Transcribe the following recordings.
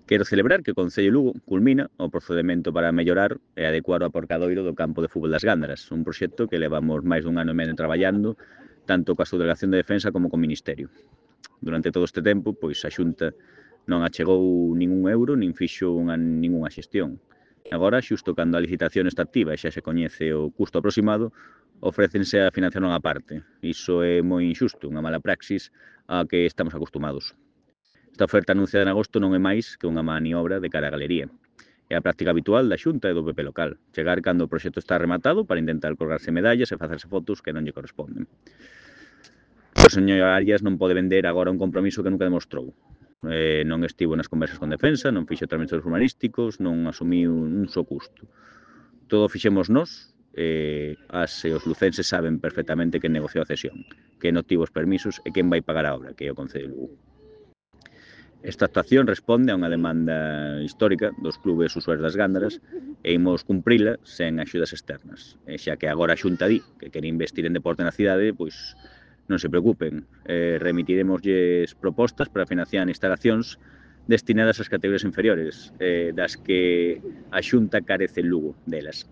Quero celebrar que o Concello de Lugo culmina o procedemento para mellorar e adecuar o aparcadoiro do campo de fútbol das Gándaras, un proxecto que levamos máis dun ano e medio traballando, tanto coa Subdelegación de Defensa como co Ministerio. Durante todo este tempo, pois a Xunta non achegou ningún euro nin fixo ningunha xestión. Agora, xusto cando a licitación está activa e xa se coñece o custo aproximado, ofrécense a financiación á parte. Iso é moi injusto, unha mala praxis a que estamos acostumados. Esta oferta anunciada en agosto non é máis que unha maniobra de cara á galería. É a práctica habitual da Xunta e do PP local, chegar cando o proxecto está rematado para intentar colgarse medallas e facerse fotos que non lle corresponden. O señor Arias non pode vender agora un compromiso que nunca demostrou. Non estivo nas conversas con Defensa, non fixo trámites urbanísticos, non asumiu un só custo. Todo fixemos nós, as e os lucenses saben perfectamente quen negociou a cesión, quen obtivo os permisos e quen vai pagar a obra, que é o Concello de Lugo. Esta actuación responde a unha demanda histórica dos clubes usuarios das Gándaras e imos cumprila sen axudas externas. Xa que agora a Xunta di que quere investir en deporte na cidade, pois non se preocupen, remitiremoslles propostas para financiar instalacións destinadas ás categorías inferiores, das que a Xunta carece en Lugo delas.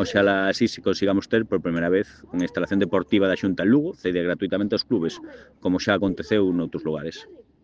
Oxalá así se consigamos ter por primeira vez unha instalación deportiva da Xunta en Lugo, cedida gratuitamente aos clubes, como xa aconteceu noutros lugares.